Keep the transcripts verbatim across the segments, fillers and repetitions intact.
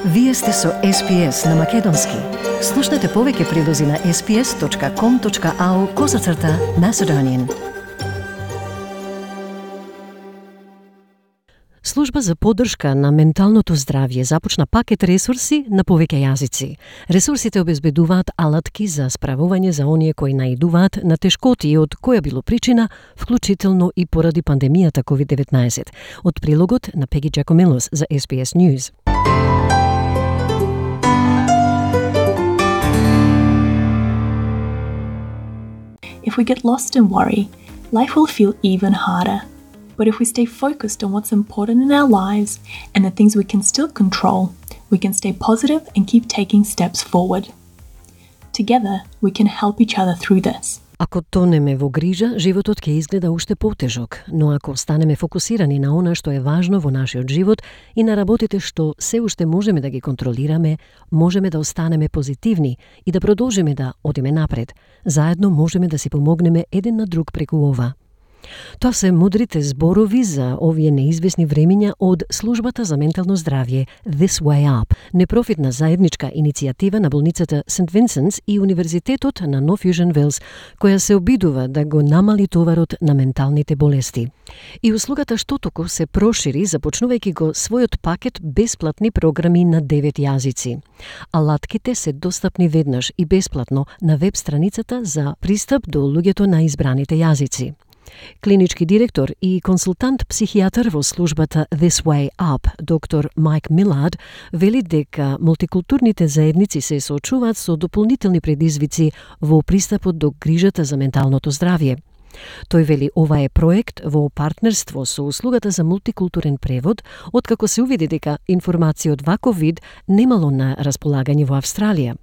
Вие сте со Ес Пи Ес на Македонски. Слушнете повеќе прилози на ес пи ес точка ком точка ау козацрта Macedonian. Служба за поддршка на менталното здравје започна пакет ресурси на повеќе јазици. Ресурсите обезбедуваат алатки за справување за оние кои наидуваат на тешкоти од која било причина, вклучително и поради пандемијата ковид деветнаесет. Од прилогот на Пеги Джакомелос за Ес Би Ес News. If we get lost in worry, life will feel even harder. But if we stay focused on what's important in our lives and the things we can still control, we can stay positive and keep taking steps forward. Together, we can help each other through this. Ако тонеме во грижа, животот ќе изгледа уште потежок, но ако останеме фокусирани на она што е важно во нашиот живот и на работите што се уште можеме да ги контролираме, можеме да останеме позитивни и да продолжиме да одиме напред. Заедно можеме да си помогнеме еден на друг преку ова. Тоа се мудрите зборови за овие неизвестни времиња од Службата за ментално здравје This Way Up, непрофитна заедничка иницијатива на болницата Сент Винсентс и Универзитетот на Нов Јужен Велс, која се обидува да го намали товарот на менталните болести. И услугата штотоку се прошири, започнувајќи го својот пакет бесплатни програми на девет јазици. Алатките се достапни веднаш и бесплатно на веб страницата за пристап до луѓето на избраните јазици. Клинички директор и консултант психијатар во службата This Way Up, доктор Майк Милард, вели дека мултикултурните заедници се соочуваат со дополнителни предизвици во пристапот до грижата за менталното здравје. Тој вели ова е проект во партнерство со услугата за мултикултурен превод, откако се увиди дека информација од ваков вид немало на располагање во Австралија.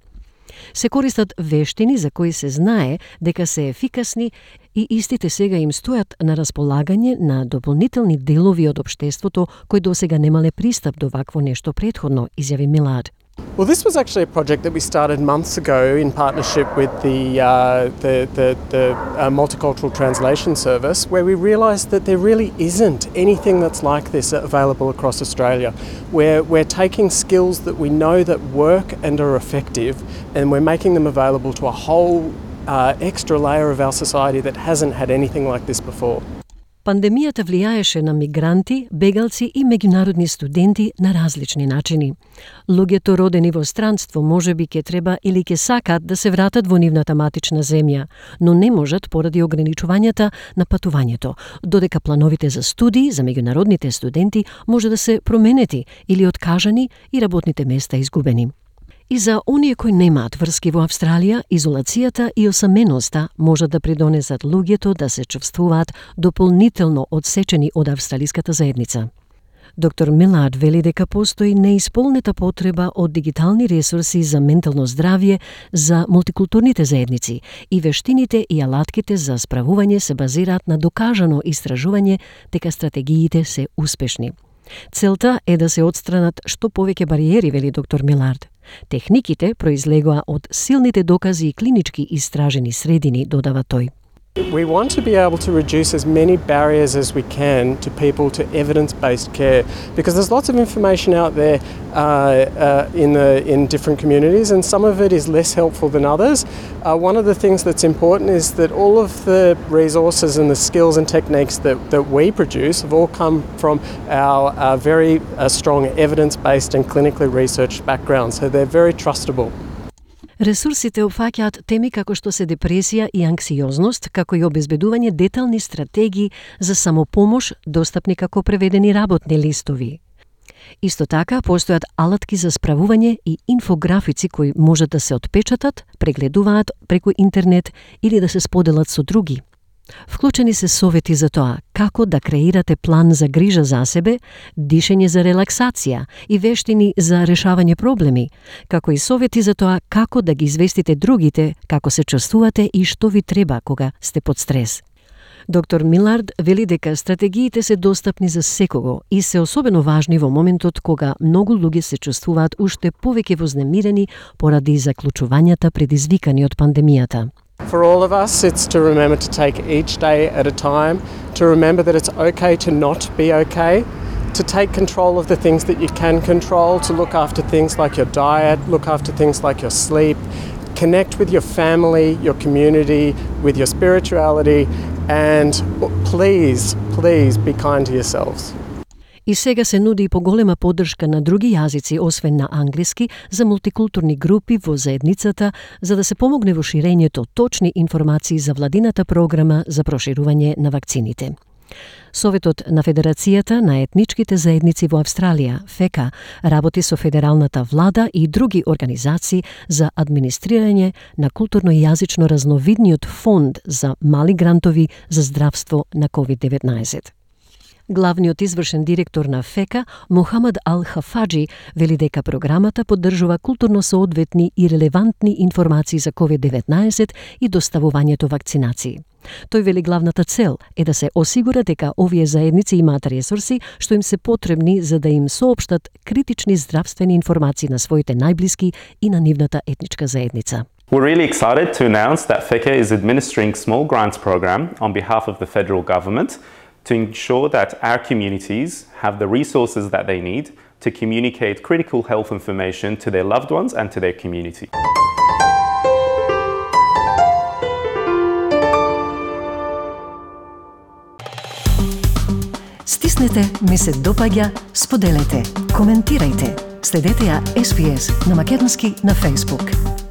Се користат вештини за кои се знае дека се ефикасни и истите сега им стојат на располагање на дополнителни делови од општеството кои досега немале пристап до вакво нешто претходно, изјави Милард. Well, this was actually a project that we started months ago in partnership with the uh, the the, the uh, Multicultural Translation Service, where we realised that there really isn't anything that's like this available across Australia. We're we're taking skills that we know that work and are effective, and we're making them available to a whole uh, extra layer of our society that hasn't had anything like this before. Пандемијата влијаеше на мигранти, бегалци и меѓународни студенти на различни начини. Луѓето родени во странство можеби ќе треба или ќе сакат да се вратат во нивната матична земја, но не можат поради ограничувањата на патувањето, додека плановите за студии за меѓународните студенти може да се променети или откажани и работните места изгубени. И за оние кои немаат врски во Австралија, изолацијата и осаменоста можат да придонесат луѓето да се чувствуваат дополнително одсечени од австралиската заедница. Доктор Милард вели дека постои неисполнета потреба од дигитални ресурси за ментално здравје за мултикултурните заедници и вештините и алатките за справување се базираат на докажано истражување дека стратегиите се успешни. Целта е да се отстранат што повеќе бариери, вели доктор Милард. Техниките произлегоа од силните докази и клинички истражени средини, додава тој. We want to be able to reduce as many barriers as we can to people to evidence-based care, because there's lots of information out there uh, uh, in the in different communities, and some of it is less helpful than others. Uh, one of the things that's important is that all of the resources and the skills and techniques that, that we produce have all come from our uh, very uh, strong evidence-based and clinically researched background, so they're very trustable. Ресурсите опфаќаат теми како што се депресија и анксиозност, како и обезбедување детални стратегии за самопомош, достапни како преведени работни листови. Исто така, постојат алатки за справување и инфографици кои можат да се отпечатат, прегледуваат преку интернет или да се споделат со други. Вклучени се совети за тоа како да креирате план за грижа за себе, дишење за релаксација и вештини за решавање проблеми, како и совети за тоа како да ги известите другите како се чувствувате и што ви треба кога сте под стрес. Доктор Милард вели дека стратегиите се достапни за секого и се особено важни во моментот кога многу луѓе се чувствуваат уште повеќе вознемирени поради заклучувањата предизвикани од пандемијата. For all of us, it's to remember to take each day at a time, to remember that it's okay to not be okay, to take control of the things that you can control, to look after things like your diet, look after things like your sleep, connect with your family, your community, with your spirituality, and please, please be kind to yourselves. И сега се нуди и поголема поддршка на други јазици, освен на англиски, за мултикултурни групи во заедницата, за да се помогне во ширењето точни информации за владината програма за проширување на вакцините. Советот на Федерацијата на етничките заедници во Австралија, ФЕКА, работи со федералната влада и други организации за администрирање на културно-јазично разновидниот фонд за мали грантови за здравство на ковид деветнаесет. Главниот извршен директор на ФЕКА, Мохамад Ал-Хафаджи, вели дека програмата поддржува културно соодветни и релевантни информации за ковид деветнаесет и доставувањето вакцинации. Тој вели главната цел е да се осигура дека овие заедници имаат ресурси што им се потребни за да им соопштат критични здравствени информации на своите најблиски и на нивната етничка заедница. We're really excited to announce that FECA is administering small grants program on behalf of the federal government to ensure that our communities have the resources that they need to communicate critical health information to their loved ones and to their community. Стиснете, ми се допаѓа, споделете, коментирајте. Следете ја Ес Би Ес на македонски на Facebook.